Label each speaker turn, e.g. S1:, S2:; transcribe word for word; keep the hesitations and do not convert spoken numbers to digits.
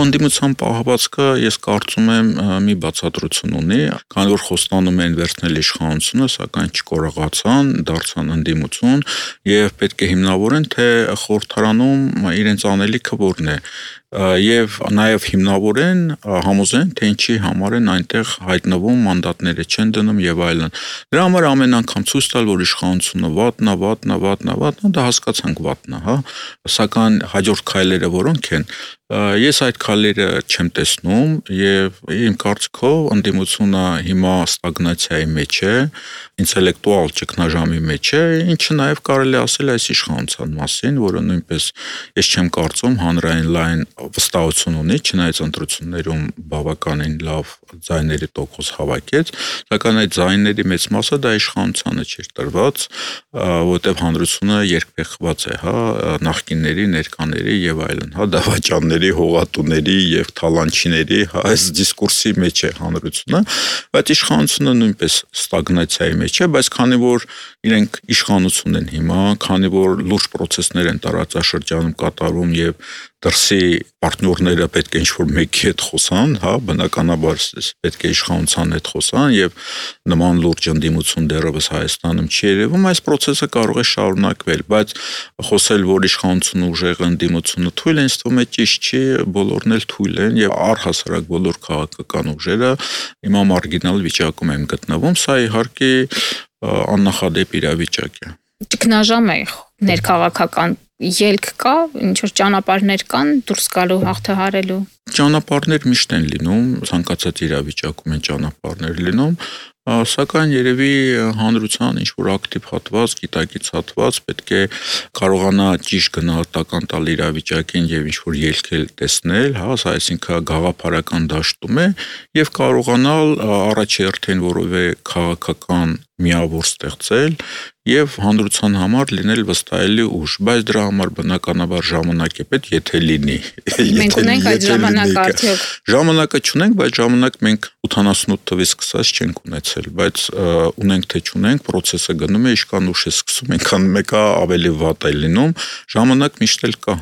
S1: Ընդդիմության պահվածքը ես կարծում եմ մի բացատրություն ունի, քանի որ խոստանում են վերցնել իշխանությունը, սակայն չկարողացան, դարձան ընդդիմություն եւ պետք է հիմնավորեն, թե խորհրդարանում իրենց անելիքը որն է եւ նաեւ հիմնավորեն համոզեն, թե ինչի համար են այնտեղ հայտնվում, մանդատները չեն դնում եւ այլն։ Դրա համար ամեն անգամ ցույց տալ, որ իշխանությունը վատնա, վատնա, վատնա, վատնա, դա հասկացանք վատնա, հա, սակայն հաջորդ քայլերը որոնք են, ես այդ քայլերը չեմ տեսնում եւ իմ կարծիքով ընդդիմությունը հիմա ստագնացիայի մեջ է, ինտելեկտուալ ճգնաժամի մեջ է, ինչը նաեւ կարելի ասել այս իշխանության մասին, որը նույնպես ես չեմ կարծում հանրային լայն վստահություն ունի, չնայած ընտրություններում բավականին լավ ձայների տոկոս հավաքեց, սակայն այդ ձայների մեծ մասը դա իշխանությանը չէր տրված, որտեղ հանրությունը երկփեղված է, հա, նախկինների, ներկաների եւ այլն, հա, դավաճանների, հողատուների եւ թալանչիների, հա, այս դիսկուրսի մեջ է հանրությունը, բայց իշխանությունը նույնպես ստագնացիայի մեջ է, բայց քանի որ իրենք իշխանություն են հիմա, քանի որ լուրջ process-ներ են տարածաշրջանում կատարում եւ դրսի պարտներները պետք է ինչ-որ մեկի հետ խոսան, հա, բնականաբար պետք է իշխանության հետ խոսան եւ նման լուրջ ընդդիմություն դեռևս Հայաստանում չի երևում, այս process-ը կարող է շարունակվել, բայց խոսել, որ իշխանությունը ուժեղ ընդդիմությունը թույլ է, ինձ թվում է ճիշտ չի, բոլորն էլ թույլ են եւ առհասարակ բոլոր քաղաքական ուժերը հիմա մարգինալ վիճակում են գտնվում, սա իհարկե աննախադեպ իրավիճակ է։
S2: Ճգնաժամ է ներքաղաքական ելք կա, ինչ որ ճանապարհներ կան դուրս գալու հաղթահարելու։
S1: Ճանապարհներ միշտ են լինում, ցանկացած իրավիճակում են ճանապարհներ լինում, սակայն երևի հանրության ինչ որ ակտիվ հատված, գիտակից հատված պետք է կարողանա ճիշտ գնահատական տալ իրավիճակին եւ ինչ որ ելքել տեսնել, հա, այսինքն գաղափարական դաշտում է եւ կարողանալ առաջերտին որևէ քաղաքական միավոր ստեղծել եւ հանրության համար լինել վստահելի ուժ, բայց դրա համար բնականաբար ժամանակ է պետք, եթե լինի։
S2: Մենք ունենք այդ ժամանակը արդյոք։
S1: Ժամանակը չունենք, բայց ժամանակ մենք ութանասունութ թվից սկսած չենք ունեցել, բայց ունենք թե չունենք, process-ը գնում է, ինչքան ուշ է սկսում, այնքան մեկը ավելի վատ է լինում, ժամանակ միշտ էլ կա։